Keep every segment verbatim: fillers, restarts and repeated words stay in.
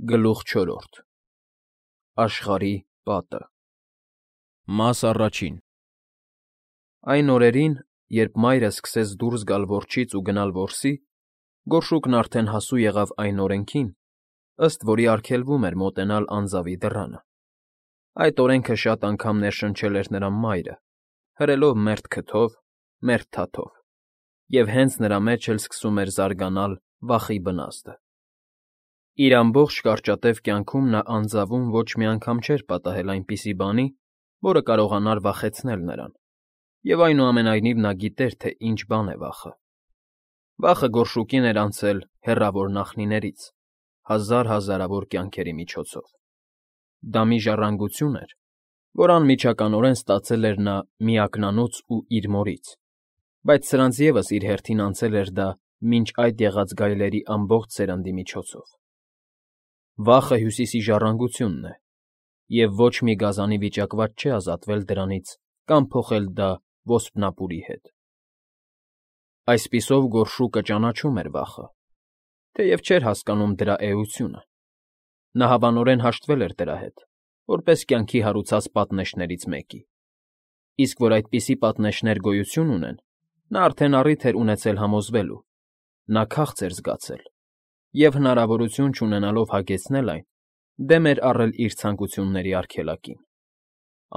Գլուխ չորրորդ Աշխարհի պատը Մաս առաջին Այն օրերին, երբ մայրը սկսեց դուրս գալ որջից ու գնալ որսի, գորշուկն արդեն հասու եղավ այն օրենքին, ըստ որի արգելվում էր մոտենալ անձավի դռանը. այդ օրենքը շատ անգամ ներշնչել էր նրա մայրը, հրելով մերթ քթով, մերթ թաթով, և հենց նրա մեջ էլ սկսում էր զարգանալ վախի բնազդը. իր ամբողջ կարճատև կյանքում նա անձավում ոչ մի անգամ չէր պատահել այնպիսի բանի, որը կարողանար վախեցնել նրան, և այնուամենայնիվ նա գիտեր, թե ինչ բան է վախը. վախը գորշուկին էր անցել հեռավոր նախնիներից, հազար հազարավոր կյանքերի միջոցով. դա մի ժառանգություն էր, որ անմիջականորեն ստացել էր նա միակնանուց ու իր մորից, բայց սրանց ևս իր հերթին անցել էր դա մինչ այդ եղած գայլերի ամբողջ սերնդի միջոցով. Վախը Հյուսիսի ժառանգությունն է, և ոչ մի գազանի վիճակված չէ ազատվել դրանից կամ փոխել դա ոսպնապուրի հետ. Այսպիսով գորշուկը ճանաչում էր վախը, թեև չէր հասկանում դրա էությունը. նա հավանորեն հաշտվել էր դրա հետ, որպես կյանքի հարուցած պատնեշներից մեկի, իսկ որ այդպիսի պատնեշներ գոյություն ունեն, նա արդեն առիթ էր ունեցել համոզվելու, նա քաղց էր զգացել, և, հնարավորություն չունենալով հագեցնել այն, դեմ էր առել իր ցանկությունների արգելակին.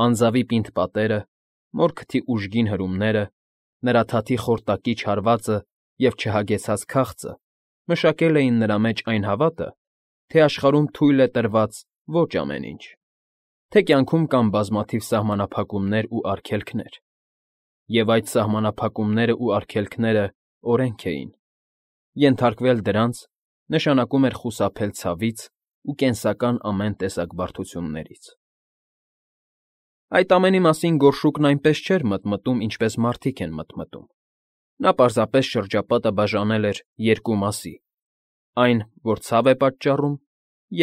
անձավի պինդ պատերը, մոր քթի ուժգին հրումները, նրա թաթի խորտակիչ հարվածը և չհագեցած քաղցը մշակել էին նրա մեջ այն հավատը, թե աշխարհում թույլ է տրված ոչ ամեն ինչ, թե կյանքում կան բազմաթիվ սահմանափակումներ ու արգելքներ, և այդ սահմանափակումներն ու արգելքները օրենք էին. ենթարկվել դրանց նշանակում էր խուսափել ցավից ու կենսական ամեն տեսակ բարդություններից։ Այդ ամենի մասին գորշուկն այնպես չէր մտմտում, ինչպես մարդիկ են մտմտում. նա պարզապես շրջապատը բաժանել էր երկու մասի. այն, որ ցավ է պատճառում,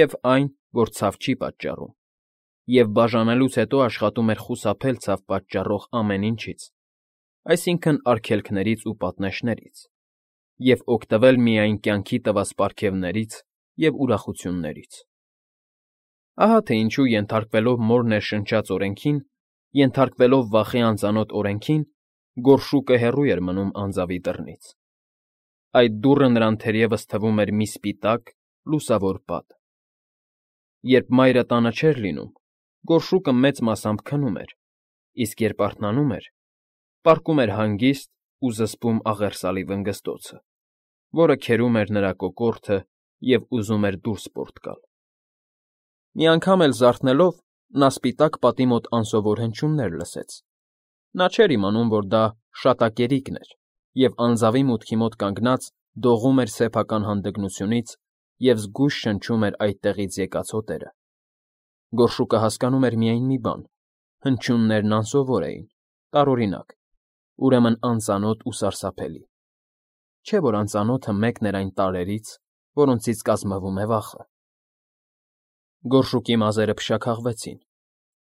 և այն, որ ցավ չի պատճառում, և բաժանելուց հետո աշխատում էր խուսափել ցավ պատճառող ամեն ինչից, այսինքն՝ արգելքներից ու պատնեշներից, և օգտվել միայն կյանքի տված պարգևներից և ուրախություններից։ Ահա թե ինչու, ենթարկվելով մոր ներշնչած օրենքին, ենթարկվելով վախի անծանոթ օրենքին, գորշուկը հեռու էր մնում անձավի դռնից. այդ դուռը նրան թերևս թվում էր մի սպիտակ, լուսավոր պատ։ Երբ մայրը տանը չէր լինում, գորշուկը մեծ մասամբ քնում էր, իսկ երբ արթնանում էր, պառկում էր հանգիստ ու զսպում աղերսալի վնգստոցը, որը քերում էր նրա կոկորդը և ուզում էր դուրս պորտ գալ։ Մի անգամ էլ զարթնելով՝ նա սպիտակ պատի մոտ անսովոր հնչյուններ լսեց. նա չէր իմանում, որ դա շատակերիկն էր, և անձավի մուտքի մոտ կանգնած դողում էր սեփական հանդգնությունից և զգույշ շնչում էր այդտեղից եկած հոտերը։ Գորշուկը հասկանում էր միայն մի բան. հնչյուններն անսովոր էին, տարօրինակ, ուրեմն անծանոթ ու սարսափելի, չէ՞ որ անծանոթը մեկն էր այն տարրերից, որոնցից կազմվում է վախը։ Գորշուկի մազերը փշաքաղվեցին,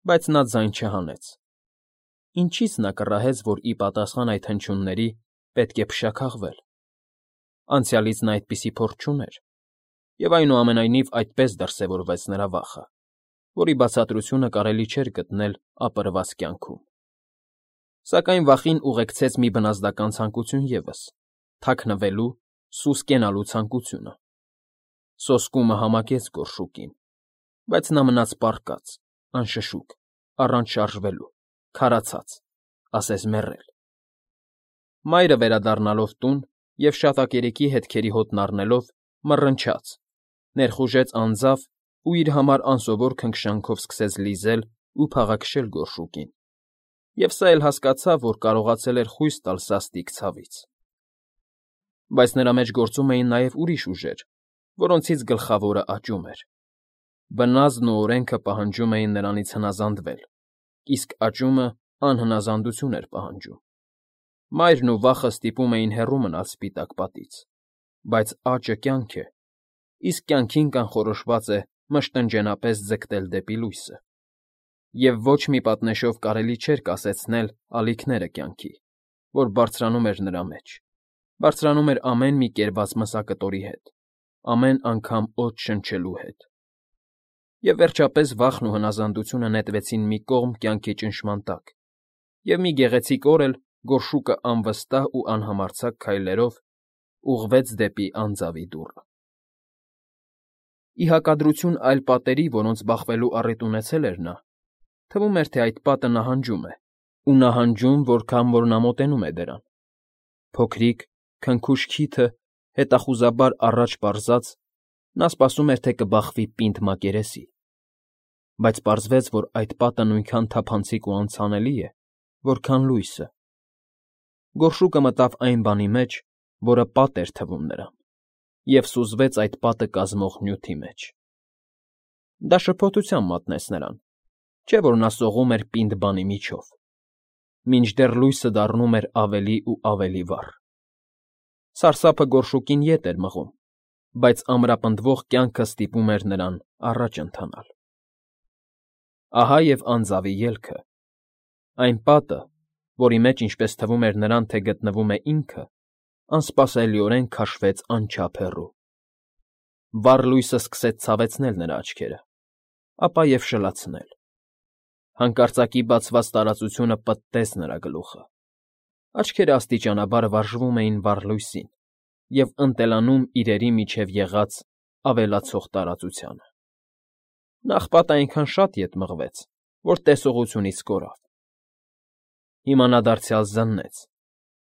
բայց նա ձայն չհանեց. ինչի՞ց նա կռահեց, որ ի պատասխան այդ հնչյունների պետք է փշաքաղվել. անցյալից նա այդպիսի փորձ չուներ, և այնուամենայնիվ այդպես դրսևորվեց նրա վախը, որի բացատրությունը կարելի չէր գտնել ապրված կյանքում։ Սակայն վախին ուղեկցեց մի բնազդական ցանկություն ևս՝ թաքնվելու, սուս կենալու ցանկությունը։ Սոսկումը համակեց գորշուկին, բայց նա մնաց պառկած, անշշուկ, առանց շարժվելու, քարացած, ասես մեռել։ Մայրը վերադառնալով տուն և շատակերիկի հետքերի հոտն առնելով, մռնչաց, ներխուժեց անձավ ու իր համար անսովոր քնքշանքով սկսեց լիզել ու փաղաքշել գորշուկին, և սա էլ հասկացավ, որ կարողացել էր խույս տալ սաստիկ ցավից։ Բայց նրա մեջ գործում էին նաև ուրիշ ուժեր, որոնցից գլխավորը աճում էր. բնազդն ու օրենքը պահանջում էին նրանից հնազանդվել, իսկ աճումը անհնազանդություն էր պահանջում։ Մայրն ու վախը ստիպում էին հեռու մնալ սպիտակ պատից, բայց աճը կյանք է, իսկ կյանքին կանխորոշված է մշտնջենապես ձգտել դեպի լույսը, և ոչ մի պատնեշով կարելի չէր կասեցնել ալիքները կյանքի, որ բարձրանում էր նրա մեջ, բարձրանում էր ամեն մի կերված մսակտորի հետ, ամեն անգամ օդ շնչելու հետ, և վերջապես վախն ու հնազանդությունը նետվեցին մի կողմ կյանքի ճնշման տակ, և մի գեղեցիկ օր էլ գորշուկը անվստահ ու անհամարձակ քայլերով ուղղվեց դեպի անձավի դուռը։ Ի հակադրություն այլ պատերի, որոնց բախվելու առիթ ունեցել էր նա, թվում էր, թե այդ պատը նահանջում է, ու նահանջում, որքան որ նա մոտենում է դրան։ Փոքրիկ, քնքուշ քիթը հետախուզաբար առաջ պարզած, նա սպասում էր, թե կբախվի պինդ մակերեսի, բայց պարզվեց, որ այդ պատը նույնքան թափանցիկ ու անցանելի է, որքան լույսը։ Գորշուկը մտավ այն բանի մեջ, որը պատ էր թվում նրան, և սուզվեց այդ պատը կազմող նյութի մեջ։ Դա շփոթությամբ մատնեց նրան, չէ՞ որ նա սողում էր պինդ բանի միջով, մինչդեռ լույսը դառնում էր ավելի ու ավելի վառ։ Սարսափը գորշուկին ետ էր մղում, բայց ամրապնդվող կյանքը ստիպում էր նրան առաջ ընթանալ։ Ահա և անձավի ելքը։ Այն պատը, որի մեջ, ինչպես թվում էր նրան, թե գտնվում է ինքը, անսպասելիորեն քաշվեց անչափ հեռու։ Վառ լույսը սկսեց ցավեցնել նրա աչքերը, ապա և շլացնել։ Հանկարծակի բացված տարածությունը պտտեց նրա գլուխը։ Աչքերը աստիճանաբար վարժվում էին վառ լույսին և ընտելանում իրերի միջև եղած ավելացող տարածությանը։ Նախ պատը այնքան շատ ետ մղվեց, որ տեսողությունից կորավ։ Հիմա նա դարձյալ զննեց,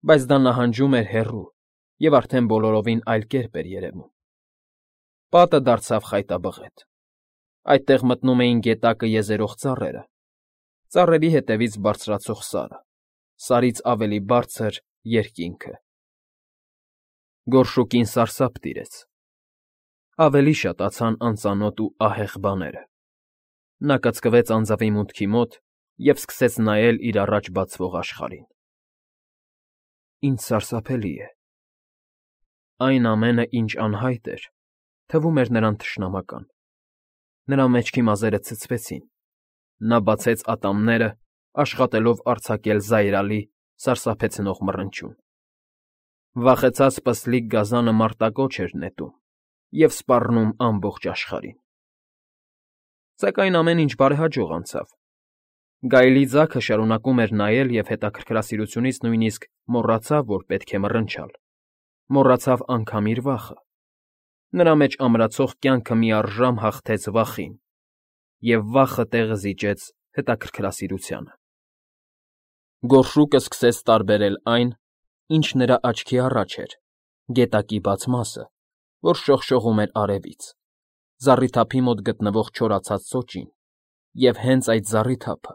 բայց դա նահանջում էր հեռու և արդեն բոլորովին այլ կերպ էր երևում։ Պատը դարձավ խայտաբղետ։ Այդտեղ մտնում էին գետակը եզերող ծառերը, ծառերի հետևից բարձրացող Սարը, Սարից ավելի բարձր՝ երկինքը։ Գորշուկին սարսափ տիրեց։ Ավելի շատացան անծանոթ ու ահեղ բաները։ Նա կծկվեց անձավի մուտքի մոտ և սկսեց նայել իր առաջ բացվող աշխարհին։ Ինչ սարսափելի է։ Այն ամենը, ինչ անհայտ էր, թվում էր նրան թշնամական։ Նրա մեջքի մազերը ցցվեցին։ Նա բացեց ատամները, աշխատելով արձակել զայրալի, սարսափեցնող մռնչյուն։ Վախեցած պստլիկ գազանը մարտակոչ էր նետում և սպառնում ամբողջ աշխարհին։ Սակայն ամեն ինչ բարեհաջող անցավ։ Գայլի ձագը շարունակում էր նայել և հետաքրքրասիրությունից նույնիսկ մոռացավ, որ պետք է մռնչալ, մոռացավ անգամ իր վախը։ Նրա մեջ ամրացող կյանքը միառժամ հաղթեց վախին, և վախը տեղը զիջեց հետաքրքրասիրությանը։ Գորշուկը սկսեց տարբերել այն, ինչ նրա աչքի առաջ էր, գետակի բաց մասը, որ շողշողում էր արևից, զառիթափի մոտ գտնվող չորացած սոճին, և հենց այդ զառիթափը,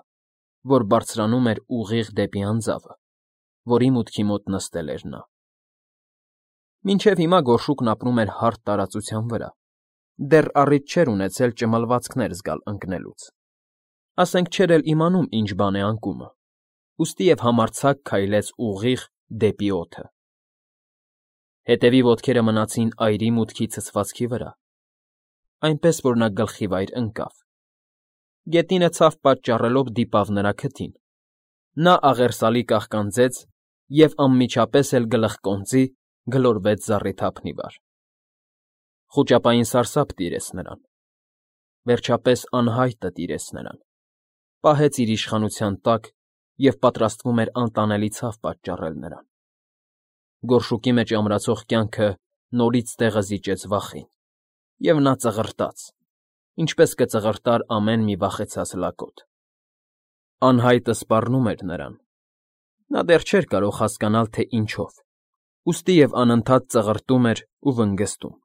որ բարձրանում էր ուղիղ դեպի անձավը, որի մուտքի մոտ նստել էր նա։ Մինչև հիմա գորշուկն ապրում էր հարթ տարածության վրա, դեռ առիթ չէր ունեցել ճմլվածքներ զգալ ընկնելուց, ասենք չէր էլ իմանում ինչ բան է անկումը, ուստի և համարձակ քայլեց ուղիղ դեպի օդը։ Հետևի ոտքերը մնացին այրի մուտքի ցցվածքի վրա, այնպես որ նա գլխիվայր ընկավ։ Գետինը ցավ պատճառելով դիպավ նրա քթին։ Նա աղերսալի կաղկանձեց և անմիջապես էլ գլխկոնծի գլորվեց զառիթափն ի վար։ Խուճապային սարսափ տիրեց նրան։ Վերջապես անհայտը տիրեց նրան, պահեց իր իշխանության տակ և պատրաստվում էր անտանելի ցավ պատճառել նրան։ Գորշուկի մեջ ամրացող կյանքը նորից տեղը զիջեց վախին, և նա ծղրտաց, ինչպես կծղրտար ամեն մի վախեցած լակոտ։ Անհայտը սպառնում էր նրան։ Նա դեռ չէր կարող հասկանալ, թե ինչով, ուստի և անընդհատ ծղրտում էր ու վնգզդում։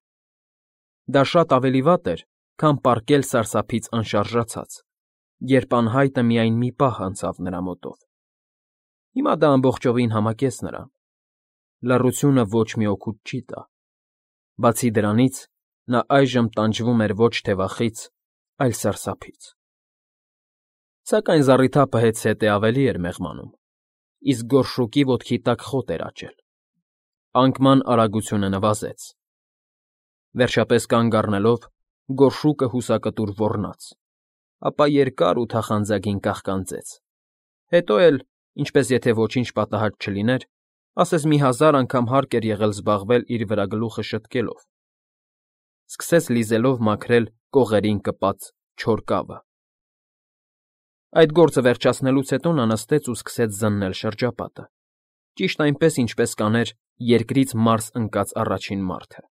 Դա շատ ավելի վատ էր, քան պառկել սարսափից անշարժացած, երբ անհայտը միայն մի պահ անցավ նրա մոտով։ Հիմա դա ամբողջովին համակեց նրան։ Լռությունը ոչ մի օգուտ չի տա։ Բացի դրանից, նա այժմ տանջվում էր ոչ թե վախից, այլ սարսափից։ Սակայն զառիթափը հետզհետե ավելի էր մեղմանում, իսկ գորշուկի ոտքի տակ խոտ էր աճել։ Անկման արագությունը նվազեց։ Վերջապես կանգ առնելով՝ գորշուկը հուսակտուր ոռնաց, ապա երկար ու թախանձագին կաղկանձեց, հետո էլ, ինչպես եթե ոչինչ պատահած չլիներ, ասես մի հազար անգամ հարկ էր եղել զբաղվել իր վրա գլուխը շտկելով, սկսեց լիզելով մաքրել կողերին կպած չոր կավը։ Այդ գործը վերջացնելուց հետո նա նստեց ու սկսեց զննել շրջապատը, ճիշտ այնպես, ինչպես կաներ երկրից Մարս ընկած առաջին մարդը։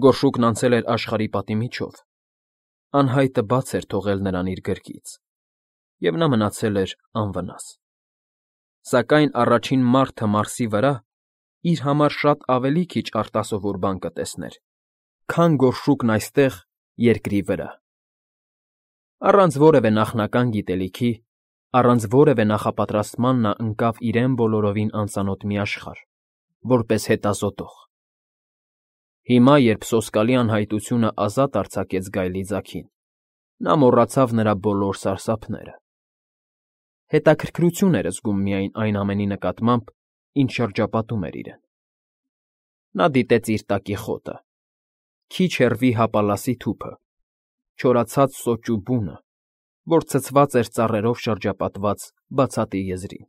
Գորշուկն անցել էր աշխարհի պատի միջով, անհայտը բաց էր թողել նրան իր գրկից, և նա մնացել էր անվնաս։ Սակայն առաջին մարդը Մարսի վրա իր համար շատ ավելի քիչ արտասովոր բան կտեսներ, քան գորշուկն այստեղ, երկրի վրա։ Առանց որևէ նախնական գիտելիքի, առանց որևէ նախապատրաստման նա ընկավ իրեն բոլորովին անծանոթ մի աշխարհ, որպես հետազոտող։ Հիմա, երբ սոսկալի անհայտությունը ազատ արձակեց գայլի ձագին, նա մոռացավ նրա բոլոր սարսափները։ Հետաքրքրություն էր զգում միայն այն ամենի նկատմամբ, ինչ շրջապատում էր իրեն։ Նա դիտեց իր տակի խոտը, քիչ հեռվի հապալասի թուփը, չորացած սոճու բունը, որ ցցված էր ծառերով շրջապատված բացատի եզրին։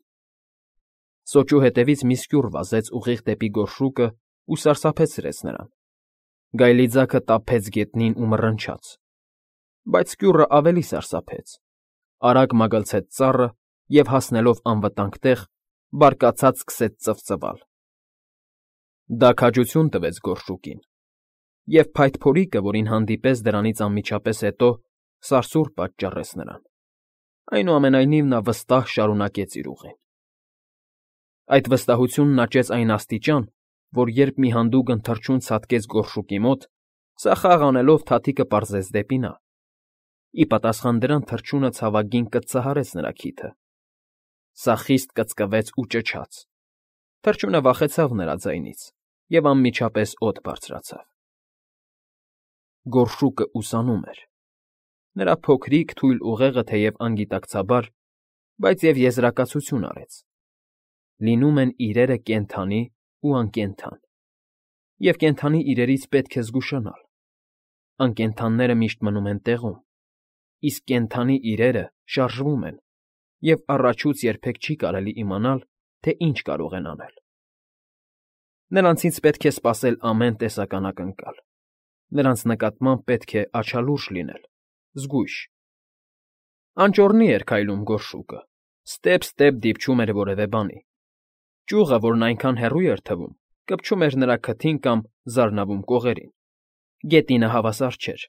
Սոճու հետևից մի սկյուռ վազեց ուղիղ դեպի գորշուկն ու սարսափեցրեց նրան։ Գայլի ձագը տափեց գետնին ու մռնչաց, բայց սկյուռը ավելի սարսափեց, արագ մագլցեց ծառը և, հասնելով անվտանգ տեղ, բարկացած սկսեց ծվծվալ։ Դա քաջություն տվեց գորշուկին, և փայտփորիկը, որին հանդիպես դրանից անմիջապես հետո, սարսուռ պատճառեց նրան։ Այնուամենայնիվ նա վստահ շարունակեց իր ուղին։ Այդ վստահությունն աճեց այն աստիճան, որ երբ մի հանդուգն թռչուն ցատկեց գորշուկի մոտ, սա խաղ անելով թաթիկը պարզեց դեպի նա։ Ի պատասխան դրան թռչյունը ցավագին կծծահարեց նրա քիթը։ Սա խիստ կծկվեց ու ճչաց։ Թռչյունը վախեցավ նրա ձայնից և անմիջապես օդ բարձրացավ։ Գորշուկը ուսանում էր։ Նրա փոքրիկ, թույլ ուղեղը թեև անգիտակցաբար, բայց և եզրակացություն արեց. լինում են իրերը կենդանի ու անկենդան, և կենդանի իրերից պետք է զգուշանալ։ Անկենդանները միշտ մնում են տեղում, իսկ կենդանի իրերը շարժվում են, և առաջուց երբեք չի կարելի իմանալ, թե ինչ կարող են անել։ Նրանցից պետք է սպասել ամեն տեսական ակնկալ, նրանց նկատմամբ պետք է աչալուրջ լինել, զգույշ։ Անճոռնի էր քայլում գորշուկը, ստեպ֊ստեպ դիպչում էր որևէ բանի։ Ճյուղը, որն այնքան հեռու էր թվում, կպչում էր նրա քթին կամ զարնավում կողերին։ Գետինը հավասար չէր։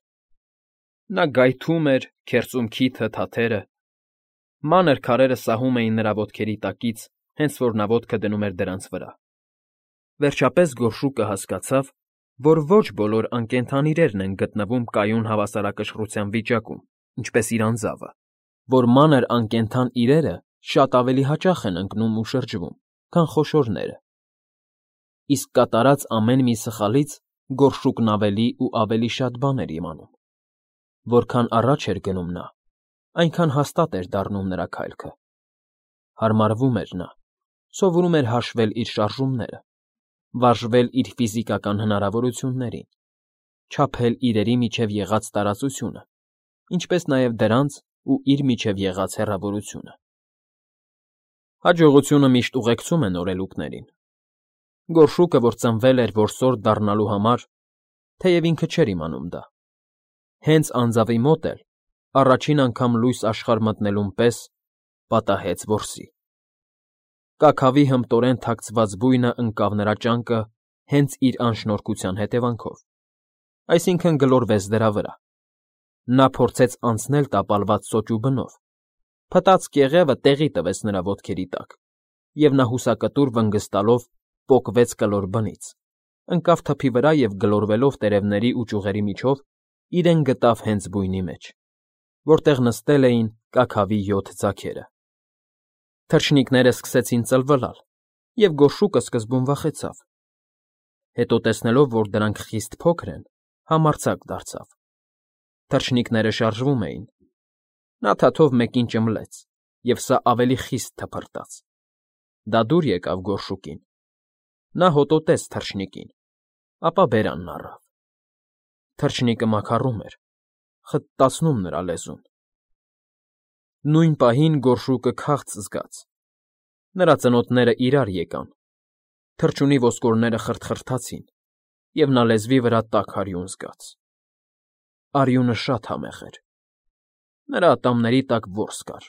Նա գայթում էր, քերծում քիթը, թաթերը։ Մանր քարերը սահում էին նրա ոտքերի տակից, հենց որ նա ոտքը դնում էր դրանց վրա։ Վերջապես գորշուկը հասկացավ, որ ոչ բոլոր անկենդան իրերն են գտնվում կայուն հավասարակշռության վիճակում, ինչպես իր անձավը, որ մանր անկենդան իրերը շատ ավելի հաճախ են ընկնում ու շրջվում, քան խոշորները։ Իսկ կատարած ամեն մի սխալից գորշուկն ավելի ու ավելի շատ բան էր իմանում։ Որքան առաջ էր գնում նա, այնքան հաստատ էր դառնում նրա քայլքը։ Հարմարվում էր նա, սովորում էր հաշվել իր շարժումները, վարժվել իր ֆիզիկական հնարավորություններին, չափել իրերի միջև եղած տարածությունը, ինչպես նաև դրանց ու իր միջև եղած հեռավորությունը։ Հաջողությունը միշտ ուղեկցում է նորելուկներին։ Գորշուկը, որ ծնվել էր որսորդ դառնալու համար, թեև ինքը չէր իմանում դա, հենց անձավի մոտ էլ, առաջին անգամ լույս աշխարհ մտնելուն պես, պատահեց որսի։ Կաքավի հմտորեն թաքցված բույնը ընկավ նրա ճանկը հենց իր անշնորհքության հետևանքով, այսինքն՝ գլորվեց դրա վրա։ Նա փորձեց անցնել տապալված սոճու բնով, փտած կեղևը տեղի տվեց նրա ոտքերի տակ, և նա հուսակտուր վնգստալով պոկվեց կլոր բնից, ընկավ թփի վրա և գլորվելով տերևների ու ճյուղերի միջով իրեն գտավ հենց բույնի մեջ, որտեղ նստել էին կաքավի յոթ ձագերը։ Թռչնիկները սկսեցին ծլվլալ, և գորշուկը սկզբում վախեցավ։ Հետո տեսնելով, որ դրանք խիստ փոքր են, համարձակ դարձավ։ Թռչնիկները շարժվում էին։ Նա թաթով մեկին ճմլեց, և սա ավելի խիստ թփրտաց։ Դա դուր եկավ գորշուկին։ Նա հոտոտեց թռչնիկին, ապա բերանն առավ։ Թռչնիկը մաքառում էր, խտտացնում նրա լեզուն։ Նույն պահին գորշուկը քաղց զգաց։ Նրա ծնոտները իրար եկան, թռչունի ոսկորները խրթխրթացին, և նա լեզվի վրա տաք արյուն զգաց։ Արյունը շատ համեղ էր, Նրա ատամների տակ որս կար,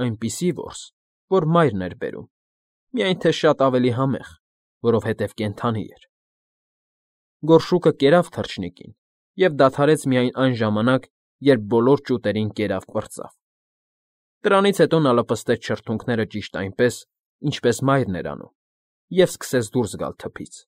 այնպիսի որս, որ մայրն էր բերում, միայն թե շատ ավելի համեղ, որովհետև կենդանի էր։ Գորշուկը կերավ թռչնիկին և դադարեց միայն այն ժամանակ, երբ բոլոր ճուտերին կերավ պրծավ։ Դրանից հետո նա լպստեց շրթունքները ճիշտ այնպես, ինչպես մայրն էր անում, և սկսեց դուրս գալ թփից։